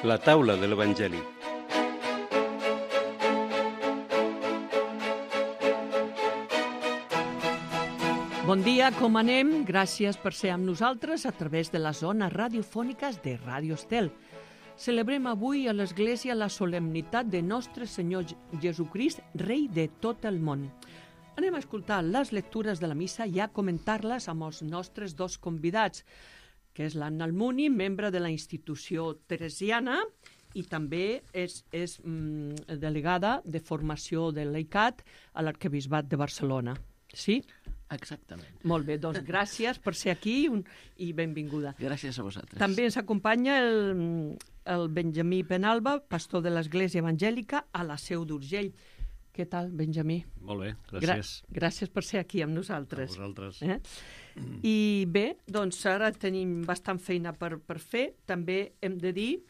La taula de l'Evangeli. Bon dia, com anem? Gràcies per ser amb nosaltres a través de les zones radiofòniques de Ràdio Estel. Celebrem avui a l'Església la solemnitat de Nostre Senyor Jesucrist, Rei de tot el món. Anem a escoltar les lectures de la missa i a comentar-les amb els nostres dos convidats, que és l'Anna Almuni, membre de la institució teresiana, i també és delegada de formació del laicat a l'Arquebisbat de Barcelona. Sí? Exactament. Molt bé, doncs gràcies per ser aquí i benvinguda. Gràcies a vosaltres. També ens acompanya el Benjamí Penalba, pastor de l'Església Evangèlica a la Seu d'Urgell. Què tal, Benjamí? Molt bé, gràcies. Gràcies per ser aquí amb nosaltres. A vosaltres. I bé, doncs ara tenim bastant feina per fer. També hem de dir,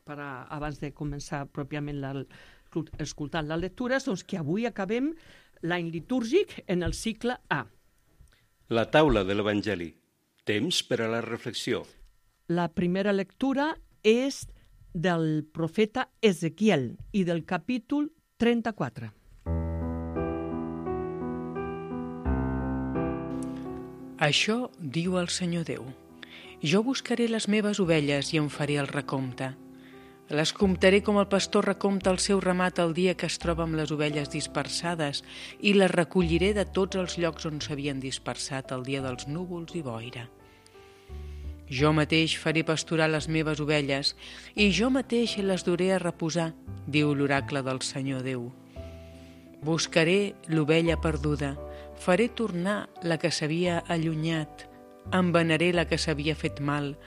abans de començar pròpiament escoltant les lectures, doncs que avui acabem l'any litúrgic en el cicle A. La taula de l'Evangeli. Temps per a la reflexió. La primera lectura és del profeta Ezequiel i del capítol 34. Això diu el Senyor Déu. Jo buscaré les meves ovelles i en faré el recompte. Les comptaré com el pastor recompta el seu ramat el dia que es troba amb les ovelles dispersades i les recolliré de tots els llocs on s'havien dispersat el dia dels núvols i boira. Jo mateix faré pasturar les meves ovelles i jo mateix les duré a reposar, diu l'oracle del Senyor Déu. Buscaré l'ovella perduda, faré tornar la que s'havia allunyat, envenaré la que s'havia fet mal,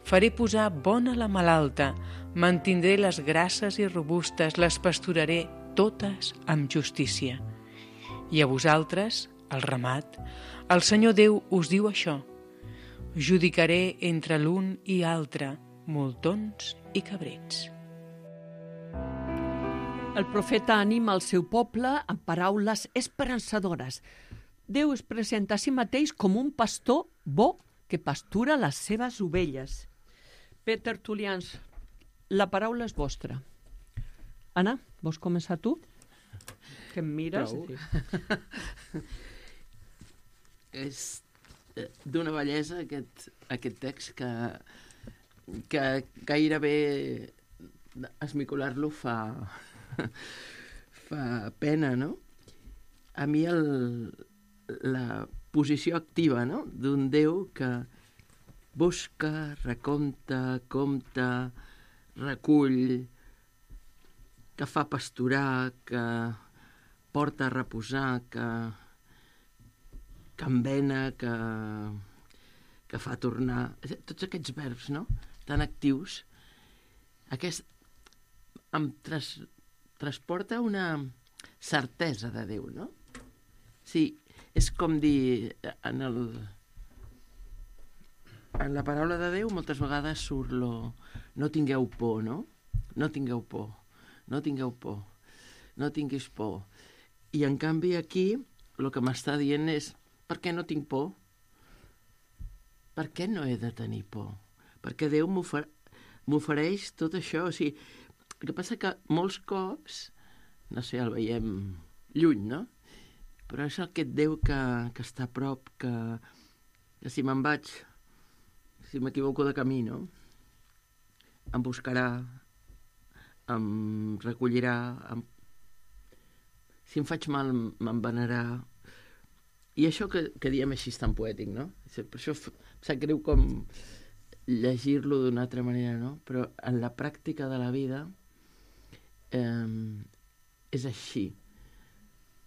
faré posar bona la malalta, mantindré les grasses i robustes, les pasturaré totes amb justícia. I a vosaltres, el ramat, el Senyor Déu us diu això: judicaré entre l'un i altre, moltons i cabrets. El profeta anima el seu poble amb paraules esperançadores. Déu es presenta a si mateix com un pastor bo que pastura les seves ovelles. Bé, tertulians, la paraula és vostra. Anna, vols començar tu? Que em mires? És d'una bellesa aquest text que gairebé esmicolar-lo fa pena, no? A mi la posició activa, no?, d'un Déu que busca, recompta, compta, recull, que fa pasturar, que porta a reposar, que envena, que fa tornar. Tots aquests verbs, no?, tan actius, em transporta una certesa de Déu, no? Sí, és com dir, en la paraula de Déu moltes vegades surt no tingueu por, no? No tingueu por, no tingueu por, no tinguis por. I en canvi aquí el que m'està dient és: per què no tinc por? Per què no he de tenir por? Perquè Déu m'ofereix tot això. O sigui, el que passa que molts cops, no sé, el veiem lluny, no? Però és aquest Déu que està a prop, que si me'n vaig, si m'equivoco de camí, no?, em buscarà, em recollirà, si em faig mal m'envenarà. I això que diem així tan poètic, no? Per això em sap greu com llegir-lo d'una altra manera, no? Però en la pràctica de la vida és així.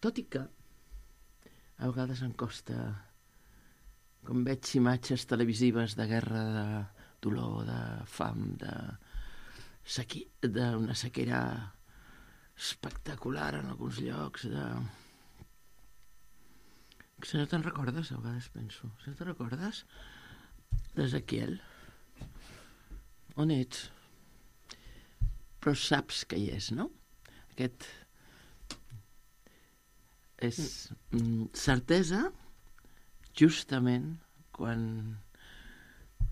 Tot i que a vegades em costa, com veig imatges televisives de guerra, de dolor, de fam, d'una sequera espectacular en alguns llocs, Si no te'n recordes, a vegades penso, si no te'n recordes d'Ezequiel, on ets? Però saps que hi és, no? Aquest és certesa justament quan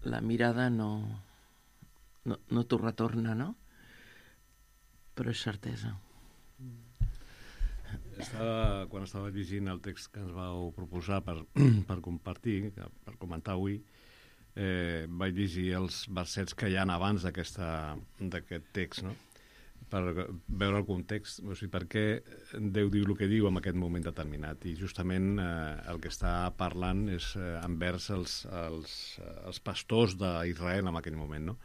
la mirada no t'ho retorna, no? però és certesa. Quan estava llegint el text que ens vau proposar per compartir, per comentar avui, vaig llegir els versets que hi ha abans d'aquest text, no? Per veure el context, o sigui, per què Déu diu el que diu en aquest moment determinat. I justament el que està parlant és envers els pastors d'Israel en aquell moment, no?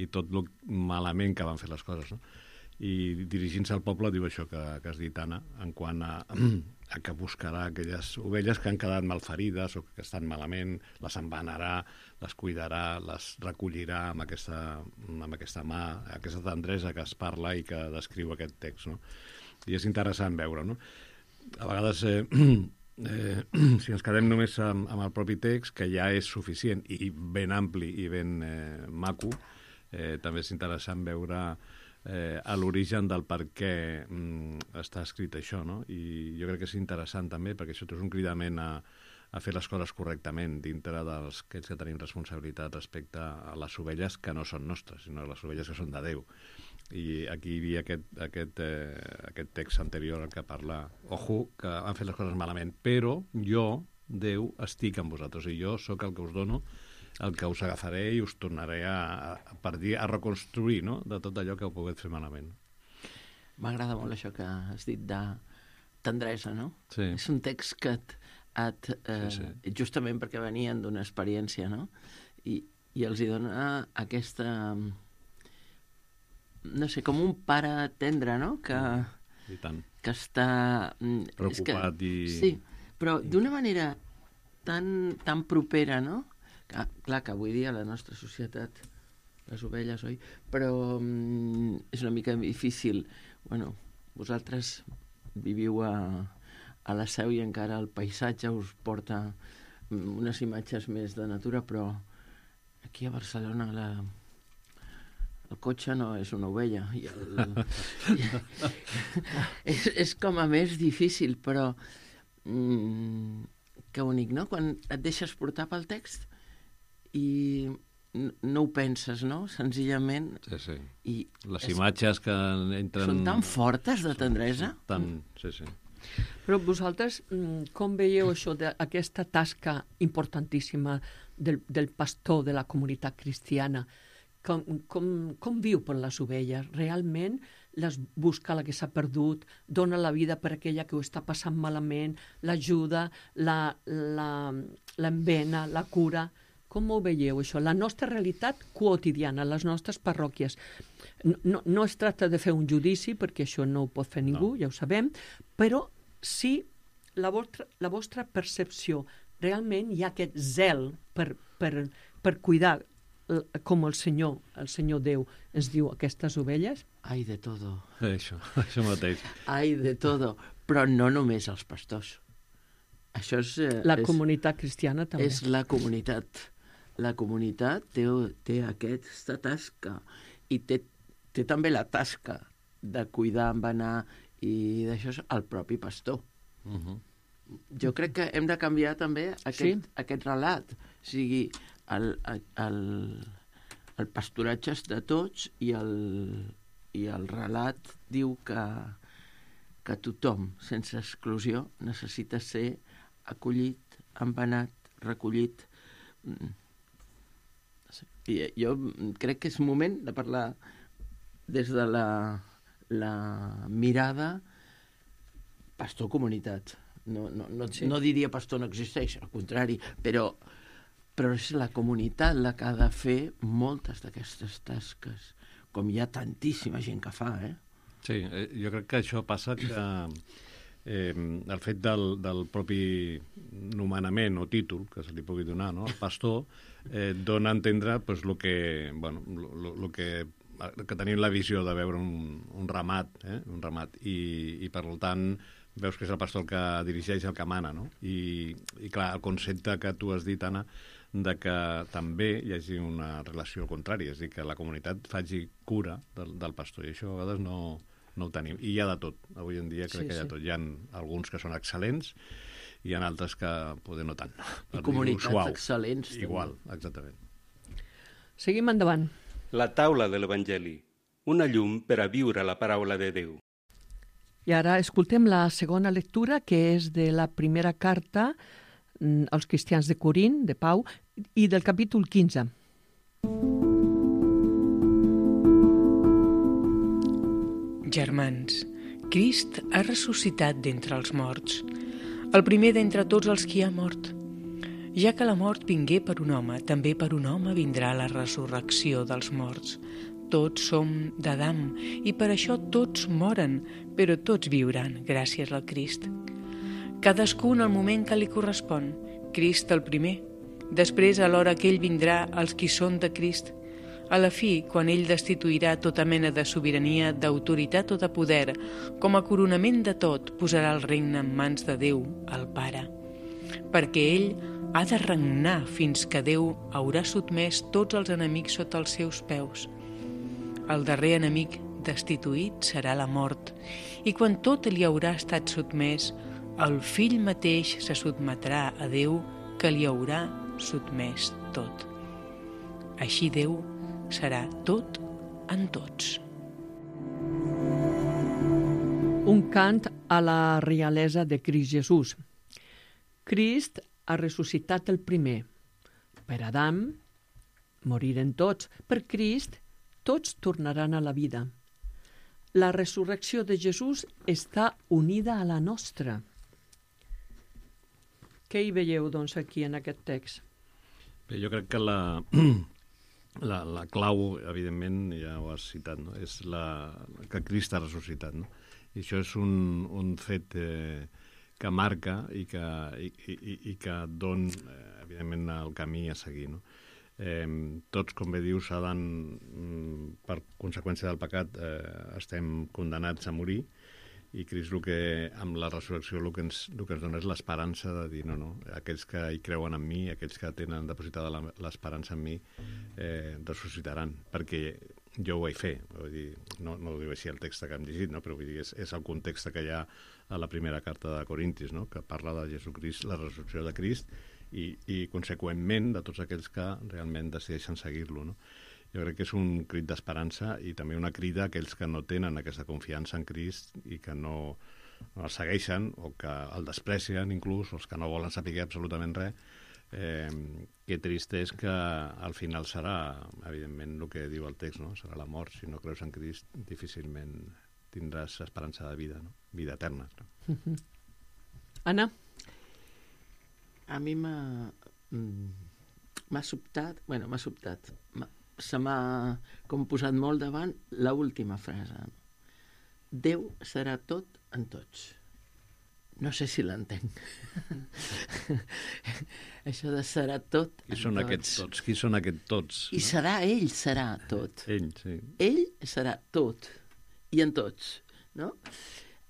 I tot el malament que van fer les coses, no? I dirigint-se al poble diu això que has dit, Anna, en quant a que buscarà aquelles ovelles que han quedat malferides o que estan malament, les embanarà, les cuidarà, les recollirà amb aquesta mà, aquesta tendresa que es parla i que descriu aquest text, no? I és interessant veure, no? A vegades, si ens quedem només amb el propi text, que ja és suficient i ben ampli i ben maco, també és interessant veure a l'origen del per què està escrit això, no? I jo crec que és interessant també, perquè això és un cridament a fer les coses correctament dintre d'aquells que tenim responsabilitat respecte a les ovelles que no són nostres, sinó les ovelles que són de Déu. I aquí hi havia aquest text anterior que parla, ojo, que han fet les coses malament, però jo, Déu, estic amb vosaltres i jo sóc el que us dono, el que us agafaré i us tornaré a reconstruir, no?, de tot allò que heu pogut fer malament. M'agrada molt això que has dit de tendresa, no? Sí. És un text que sí. Justament perquè venien d'una experiència, no? I els hi dona aquesta, no sé, com un pare tendre, no? I tant. Que està... preocupat Sí, però d'una manera tan propera, no? Clar que avui dia la nostra societat, les ovelles, oi? Però és una mica difícil. Bueno, vosaltres viviu a la Seu i encara el paisatge us porta unes imatges més de natura, però aquí a Barcelona el cotxe no és una ovella. És com a més difícil, però que bonic, no? Quan et deixes portar pel text i no ho penses, no? Senzillament... Sí. I les imatges que entren... Són tan fortes de tendresa. Sí. Però vosaltres com veieu això, aquesta tasca importantíssima del pastor de la comunitat cristiana? Com viu per les ovelles? Realment les busca la que s'ha perdut, dona la vida per aquella que ho està passant malament, l'ajuda, l'embena, la cura... Com ho veieu, això? La nostra realitat quotidiana, les nostres parròquies. No es tracta de fer un judici, perquè això no ho pot fer ningú, ja ho sabem, però sí la vostra percepció. Realment hi ha aquest zel per cuidar, com el Senyor Déu ens diu, aquestes ovelles? Ai de todo. Això mateix. Ai de todo. Però no només els pastors. Això és... La comunitat cristiana també. És la comunitat. La comunitat té aquesta tasca i té també la tasca de cuidar, embenar i d'això és el propi pastor. Jo crec que hem de canviar també aquest relat. O sigui, el pastoratge és de tots i el relat diu que tothom, sense exclusió, necessita ser acollit, embenat, recollit. I jo crec que és moment de parlar des de la mirada pastor-comunitat. No diria pastor no existeix, al contrari, però és la comunitat la que ha de fer moltes d'aquestes tasques, com hi ha tantíssima gent que fa, Sí, jo crec que això passa que el fet del propi nomenament o títol que se li pugui donar, no? El pastor dona a entendre pues, el que tenim la visió de veure un ramat, i per tant veus que és el pastor el que dirigeix, el que mana, no? I clar, el concepte que tu has dit, Anna, de que també hi hagi una relació al contrari, és a dir, que la comunitat faci cura del pastor, i això a vegades no ho tenim. I hi ha de tot. Avui en dia crec que hi ha tot. Hi ha alguns que són excel·lents i hi ha altres que poder no tant. I comunitats excel·lents. Igual, exactament. Seguim endavant. La taula de l'Evangeli, una llum per a viure la paraula de Déu. I ara escoltem la segona lectura, que és de la primera carta als cristians de Corint, de Pau, i del capítol 15. Germans, Crist ha ressuscitat d'entre els morts, el primer d'entre tots els qui ha mort. Ja que la mort vingué per un home, també per un home vindrà la resurrecció dels morts. Tots som d'Adam i per això tots moren, però tots viuran gràcies al Crist. Cadascun al moment que li correspon. Crist el primer. Després, a l'hora que ell vindrà, els qui són de Crist. A la fi, quan ell destituirà tota mena de sobirania, d'autoritat o de poder, com a coronament de tot, posarà el regne en mans de Déu, el Pare. Perquè ell ha de regnar fins que Déu haurà sotmès tots els enemics sota els seus peus. El darrer enemic destituït serà la mort, i quan tot li haurà estat sotmès, el fill mateix se sotmetrà a Déu que li haurà sotmès tot. Així Déu serà tot en tots. Un cant a la realesa de Crist Jesús. Crist ha ressuscitat el primer. Per Adam moriren tots. Per Crist tots tornaran a la vida. La resurrecció de Jesús està unida a la nostra. Què hi veieu, doncs, aquí en aquest text? Bé, jo crec que la clau, evidentment, ja ho has citat, no? És que Crist ha ressuscitat. No? I això és un fet que marca i que don, evidentment, el camí a seguir. No? Tots, com bé dius, per conseqüència del pecat, estem condemnats a morir, i Crist, amb la resurrecció, el que ens dona és l'esperança de dir, no, aquells que hi creuen en mi, aquells que tenen depositada l'esperança en mi, ressuscitaran, perquè jo ho vaig fer. Vull dir, no ho diu així el text que hem llegit, no? Però vull dir, és el context que hi ha a la primera carta de Corintis, no? Que parla de Jesucrist, la resurrecció de Crist, i conseqüentment de tots aquells que realment decideixen seguir-lo, no? Jo crec que és un crit d'esperança i també una crida a aquells que no tenen aquesta confiança en Crist i que no el segueixen o que el desprecien inclús, o els que no volen saber absolutament res. Que trist és que al final serà, evidentment, el que diu el text, no? Serà la mort. Si no creus en Crist, difícilment tindràs esperança de vida, no? Vida eterna. No? Anna? A mi m'ha sobtat, se m'ha com posat molt davant l'última frase. Déu serà tot en tots. No sé si l'entenc. Això de serà tot en tots. Qui són aquests tots? Qui són aquests tots? I ell serà tot. Ell, sí. Ell serà tot. I en tots, no?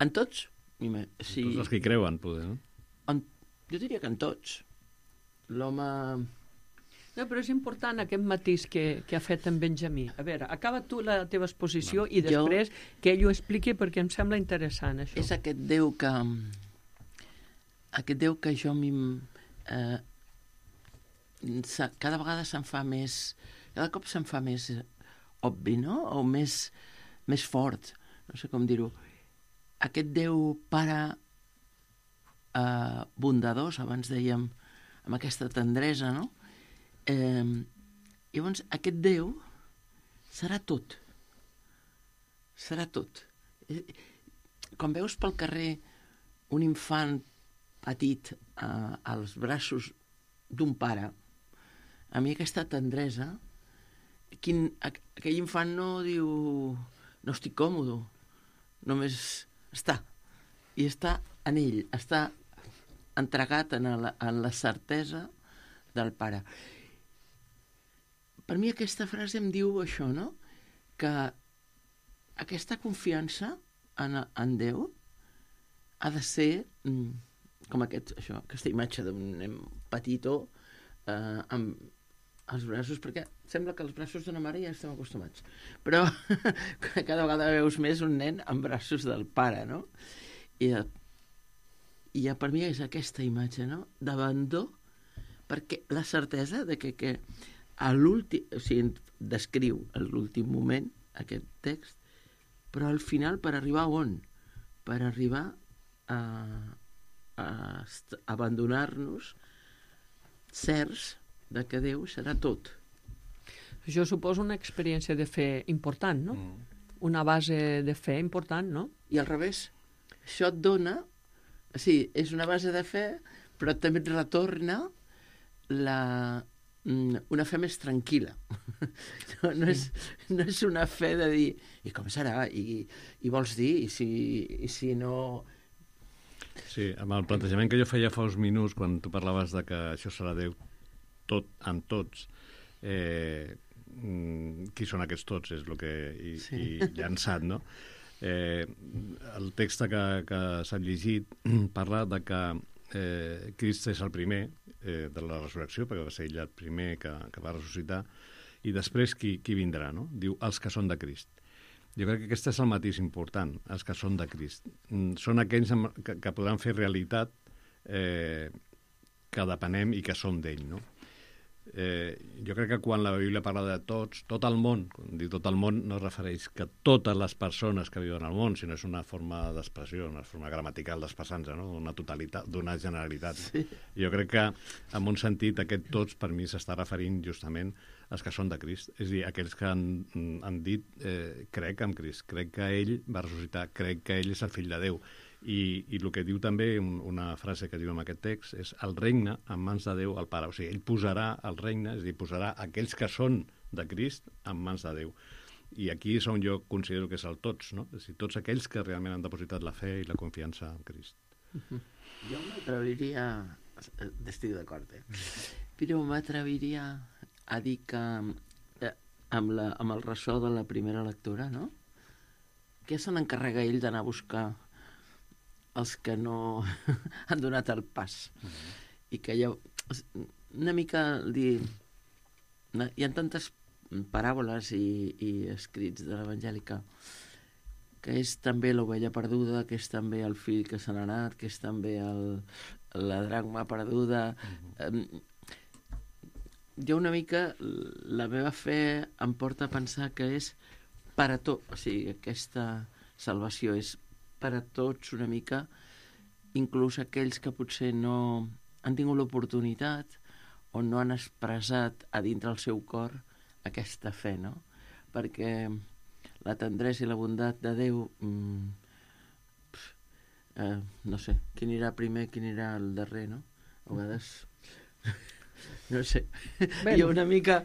En tots? Sí. Tots els que hi creuen, poder, no? Jo diria que en tots. L'home... No, però és important aquest matís que ha fet en Benjamí. A veure, acaba tu la teva exposició i després que ell ho expliqui perquè em sembla interessant, això. És aquest Déu que... Aquest Déu que jo cada vegada se'm fa més... Cada cop se'm fa més obvi, no? O més fort. No sé com dir-ho. Aquest Déu Pare bondadós, abans dèiem, amb aquesta tendresa, no? Llavors, aquest Déu serà tot. Serà tot. Quan veus pel carrer un infant petit als braços d'un pare, a mi aquesta tendresa, aquell infant no diu no estic còmode, només està. I està en ell, està entregat en la certesa del pare. Per mi aquesta frase em diu això, no? Que aquesta confiança en Déu ha de ser com aquesta imatge d'un nen petitó amb els braços, perquè sembla que els braços d'una mare ja estem acostumats, però cada vegada veus més un nen amb braços del pare, no? I per mi és aquesta imatge, no? D'abandó, perquè la certesa de que a l'últim, o sigui, descriu l'últim moment aquest text, però al final per arribar a on? Per arribar a abandonar-nos certs de que Déu serà tot. Això suposa una experiència de fe important, no? Una base de fe important, no? I al revés, això et dona, sí, és una base de fe, però també et retorna una fe més tranquil·la. No és una fe de dir, i com serà? I vols dir? I si no... Sí, amb el plantejament que jo feia fa uns minuts, quan tu parlaves de que això serà Déu tot en tots, qui són aquests tots és el que he llançat, no? El text que s'ha llegit parla de que Crist és el primer de la resurrecció, perquè va ser ell el primer que va ressuscitar, i després qui vindrà, no? Diu, els que són de Crist. Jo crec que aquest és el matís important, els que són de Crist. Són aquells que podran fer realitat que depenem i que som d'ell, no? Jo crec que quan la Bíblia parla de tots, tot el món, quan diu tot el món no es refereix que totes les persones que viuen al món, sinó és una forma d'expressió, una forma gramatical d'expressar-nos, no? Una totalitat, d'una generalitat. Sí. Jo crec que, en un sentit, aquest tots per mi s'està referint justament als que són de Crist, és a dir, aquells que han dit crec en Crist, crec que ell va ressuscitar, crec que ell és el fill de Déu. I el que diu també, una frase que diu en aquest text, és el regne en mans de Déu el Pare. O sigui, ell posarà el regne, és a dir, posarà aquells que són de Crist en mans de Déu. I aquí és on jo considero que és el tots, no? És a dir, tots aquells que realment han depositat la fe i la confiança en Crist. Jo m'atreviria, estic d'acord, però m'atreviria a dir que amb el ressò de la primera lectura, no? Que se n'encarrega ell d'anar a buscar els que no han donat el pas. I que hi ha una mica dir... Hi ha tantes paràboles i escrits de l'Evangèlica que és també l'ovella perduda, que és també el fill que se n'ha anat, que és també la dracma perduda. Jo una mica, la meva fe em porta a pensar que és per a tot, o sigui, aquesta salvació és per a tots una mica, inclús aquells que potser no han tingut l'oportunitat o no han expressat a dintre el seu cor aquesta fe, no? Perquè la tendresa i la bondat de Déu, no sé, qui anirà primer, qui anirà al darrer, no? A vegades... No sé, jo una mica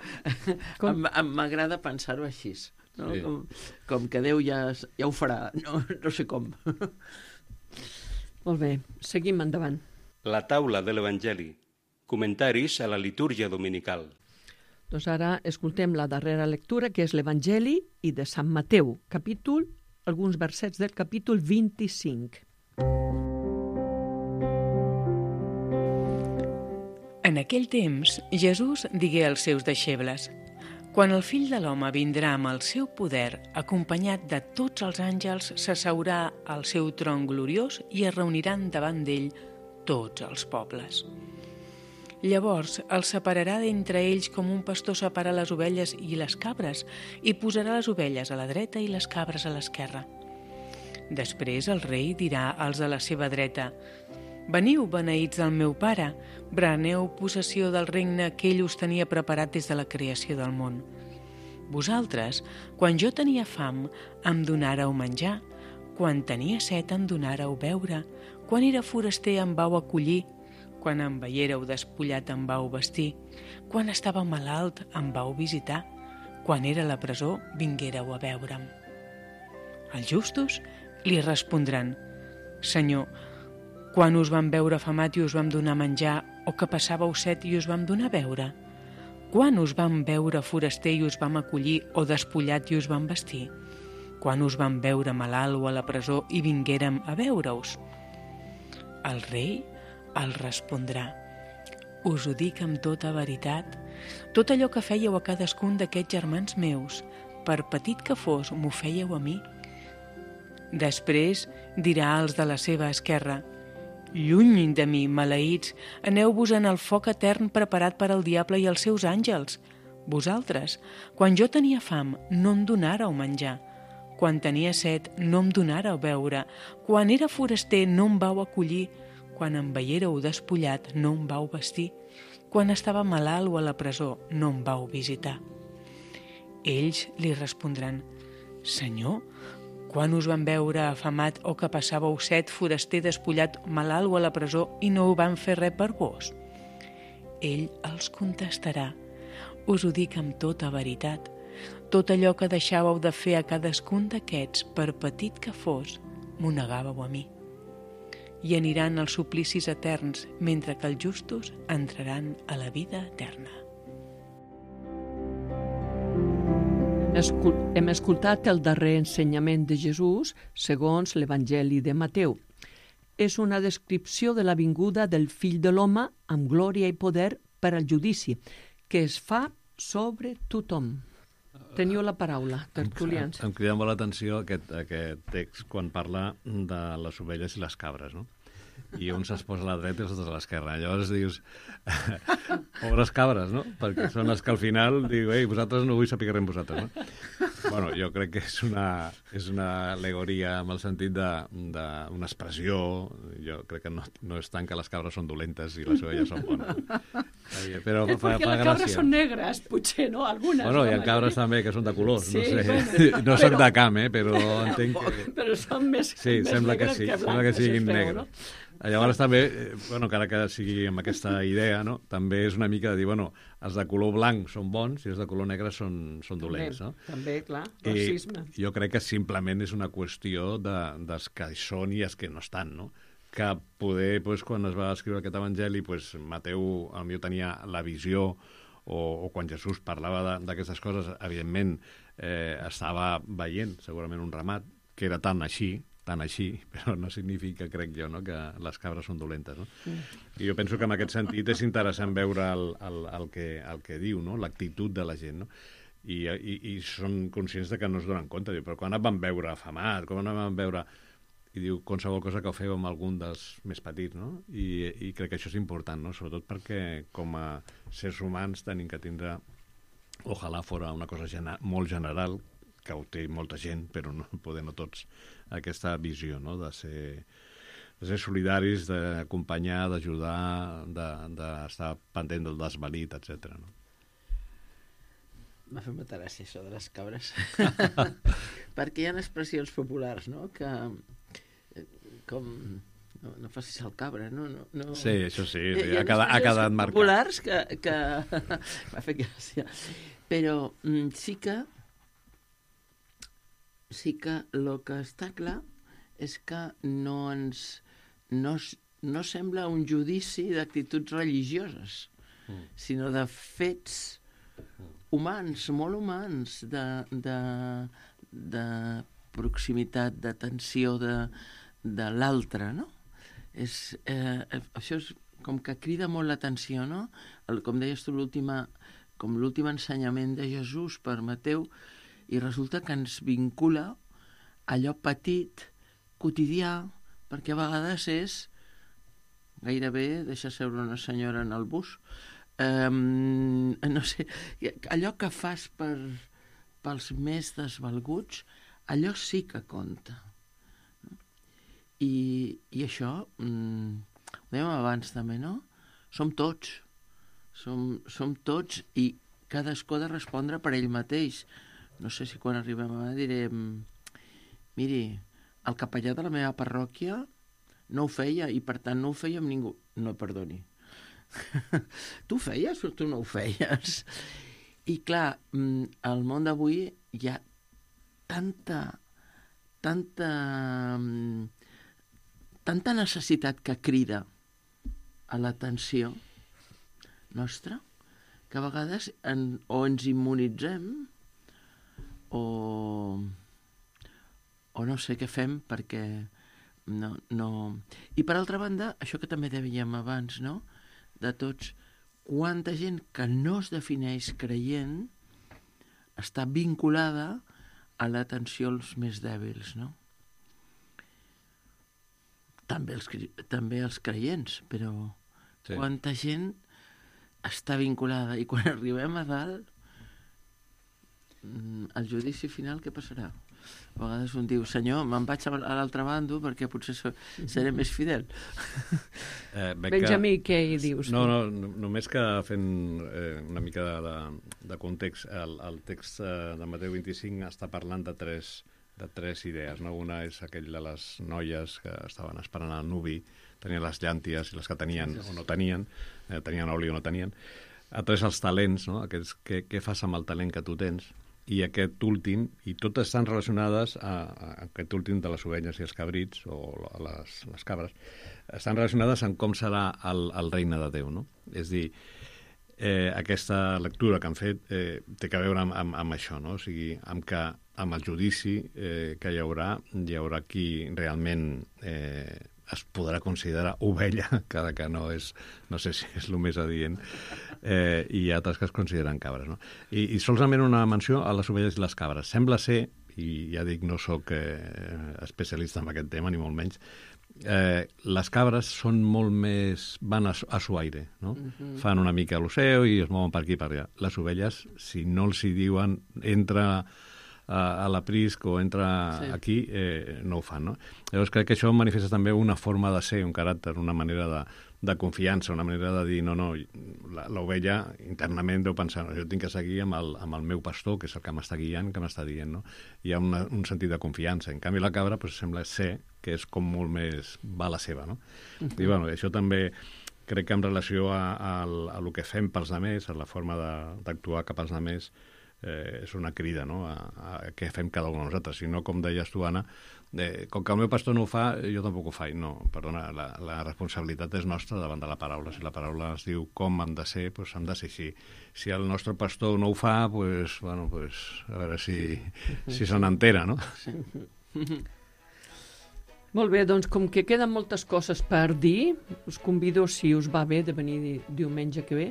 m'agrada pensar-ho així, no? Sí. Com que Déu ja ho farà, no sé com. Molt bé, seguim endavant. La taula de l'Evangeli. Comentaris a la litúrgia dominical. Doncs ara escoltem la darrera lectura, que és l'Evangeli i de Sant Mateu, alguns versets del capítol 25. En aquell temps, Jesús digué als seus deixebles: quan el fill de l'home vindrà amb el seu poder, acompanyat de tots els àngels, s'asseurà al seu tron gloriós i es reuniran davant d'ell tots els pobles. Llavors els separarà d'entre ells com un pastor separa les ovelles i les cabres i posarà les ovelles a la dreta i les cabres a l'esquerra. Després el rei dirà als de la seva dreta: veniu, beneïts del meu pare, preneu possessió del regne que ell us tenia preparat des de la creació del món. Vosaltres, quan jo tenia fam, em donàreu menjar, quan tenia set em donàreu beure, quan era foraster em vau acollir, quan em veiéreu despullat em vau vestir, quan estava malalt em vau visitar, quan era a la presó vinguéreu a veure'm. Els justos li respondran: Senyor, quan us vam veure afamat i us vam donar menjar, o que passàveu set i us vam donar a beure? Quan us vam veure foraster i us vam acollir, o despullat i us vam vestir? Quan us vam veure malalt o a la presó i vinguérem a veure-us? El rei els respondrà: us ho dic amb tota veritat, tot allò que fèieu a cadascun d'aquests germans meus, per petit que fos, m'ho fèieu a mi. Després dirà als de la seva esquerra: lluny de mi, maleïts, aneu-vos en el foc etern preparat per al diable i els seus àngels. Vosaltres, quan jo tenia fam, no em donàreu menjar. Quan tenia set, no em donàreu beure. Quan era foraster, no em vau acollir. Quan em veiéreu despullat, no em vau vestir. Quan estava malalt o a la presó, no em vau visitar. Ells li respondran: Senyor, quan us van veure afamat o que passàveu set, foraster, despullat, malalt o a la presó i no ho van fer res per vos? Ell els contestarà: us ho dic amb tota veritat. Tot allò que deixàveu de fer a cadascun d'aquests, per petit que fos, m'ho negàveu a mi. I aniran als suplicis eterns, mentre que els justos entraran a la vida eterna. Hem escoltat el darrer ensenyament de Jesús segons l'Evangeli de Mateu. És una descripció de la vinguda del Fill de l'Home amb glòria i poder per al judici, que es fa sobre tothom. Teniu la paraula, tertulians. Em crida molt l'atenció aquest text quan parla de les ovelles i les cabres, no? I un se'ls posa a la dreta i els altres a l'esquerra. Llavors dius, pobres cabres, no? Perquè són les que al final diu, ei, vosaltres no vull saber res amb vosaltres, no? Bueno, jo crec que és una al·legoria amb el sentit d'una expressió. Jo crec que no és tant que les cabres són dolentes i les ovelles són bones. Però fa gràcia. Les cabres són negres, potser, no? Algunes. Bueno, hi ha cabres també que són de colors, sí, no sé. Bueno, no soc de camp, però entenc que... Però són més sí, sembla que sí, sembla que siguin negres. No? Llavors també, encara que sigui amb aquesta idea, no? També és una mica de dir, els de color blanc són bons i els de color negre són dolents, no? També, clar, racisme. Jo crec que simplement és una qüestió dels que hi són i els que no estan, no? Que poder, quan es va escriure aquest evangeli, Mateu potser tenia la visió, o quan Jesús parlava d'aquestes coses, evidentment estava veient segurament un ramat que era tan així, però no significa, crec jo, no, que les cabres són dolentes, no? I jo penso que en aquest sentit és interessant veure el que diu, no? L'actitud de la gent, no? I són conscients de que no es donen compte, diu, però quan et van veure afamat, quan et van veure... I diu, qualsevol cosa que ho feu amb algun dels més petits, no? I crec que això és important, no? Sobretot perquè com a sers humans tenim que tindre, ojalà fora una cosa molt general, que ho té molta gent, però no tots, aquesta visió, no? De ser solidaris, d'acompanyar, d'ajudar, d'estar pendent del desvalit, etc. No? M'ha fet molta gràcia això de les cabres. Perquè hi ha expressions populars, no? Que com... No facis el cabra, no? Sí, això sí, ha quedat marcat. Populars que... m'ha fet gràcia. Però sí que el que està clar és que no sembla un judici d'actituds religioses, sinó de fets humans, molt humans, de proximitat, d'atenció de l'altre, no? Això és com que crida molt l'atenció, no? Com deies tu, l'últim ensenyament de Jesús per Mateu, i resulta que ens vincula allò petit, quotidià, perquè a vegades és gairebé deixar seure una senyora en el bus, no sé, allò que fas pels més desvalguts, allò sí que compta. I això, ho dèiem abans també, no? Som tots i cadascú ha de respondre per ell mateix. No sé si quan arribem a direm, miri, el capellà de la meva parròquia no ho feia i per tant no ho feia amb ningú. No, perdoni. Tu ho feies o tu no ho feies? I clar, al món d'avui hi ha tanta necessitat que crida a l'atenció nostra que a vegades o ens immunitzem o no sé què fem perquè no... I per altra banda, això que també dèiem abans, no? De tots, quanta gent que no es defineix creient està vinculada a l'atenció als més dèbils, no? També els creients, però sí. Quanta gent està vinculada i quan arribem a dalt al judici final què passarà? A vegades un diu, senyor, me'n vaig a l'altre bando perquè potser seré més fidel. Benjamí, què hi dius? No, només que fent una mica de context, el text de Mateu 25 està parlant de tres idees, no? Una és aquell de les noies que estaven esperant el nuvi, tenien les llànties i les que tenien o no tenien, tenien oli o no tenien. Altres els talents, no? Aquests, què fas amb el talent que tu tens? I aquest últim, i totes estan relacionades a aquest últim de les ovelles i els cabrits, o les cabres, estan relacionades amb com serà el regne de Déu, no? És dir, aquesta lectura que han fet té a veure amb això, no? O sigui, amb el judici que hi haurà qui realment es podrà considerar ovella, cada que no sé si és el més adient, i altres que es consideren cabres, no? I solament una menció a les ovelles i les cabres. Sembla ser, i ja dic, no sóc especialista en aquest tema, ni molt menys, les cabres són molt més... van a su aire, no? Fan una mica l'oceu i es mouen per aquí i per allà. Les ovelles, si no els hi diuen entra a l'aprisc o entra aquí, no ho fan, no? Llavors crec que això manifesta també una forma de ser, un caràcter, una manera de confiança, una manera de dir, no, l'ovella internament deu pensar, jo tinc que seguir amb el meu pastor, que és el que m'està guiant, que m'està dient, no? Hi ha un sentit de confiança. En canvi, la cabra sembla ser que és com molt més va la seva, no? I bueno, això també crec que en relació a el que fem pels altres, a la forma d'actuar cap als altres, és una crida, no?, a què fem cada un de nosaltres. Si no, com deies tu, Anna, com que el meu pastor no ho fa, jo tampoc ho faig. No, perdona, la responsabilitat és nostra davant de la paraula. Si la paraula ens diu com hem de ser, doncs hem de ser així. Si el nostre pastor no ho fa, doncs, bueno, a veure si se n'entera, no? Sí. Molt bé, doncs com que queden moltes coses per dir, us convido, si us va bé, de venir diumenge que ve.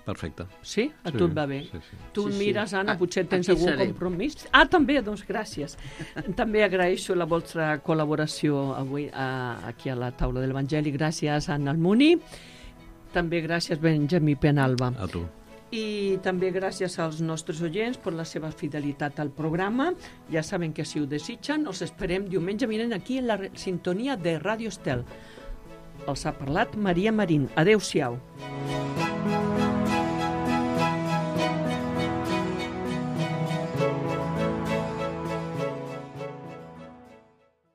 Perfecte. Sí? A tu et va bé? Sí. Tu mires, Anna, potser tens aquí algun seré. compromís? També, doncs gràcies. També agraeixo la vostra col·laboració avui aquí a la taula de l'Evangeli. Gràcies, Anna Almuni. També gràcies, Benjamí Penalba. A tu. I també gràcies als nostres oients per la seva fidelitat al programa. Ja saben que si ho desitgen, els esperem diumenge vinent aquí en la sintonia de Ràdio Estel. Els ha parlat Maria Marín. Adéu-siau.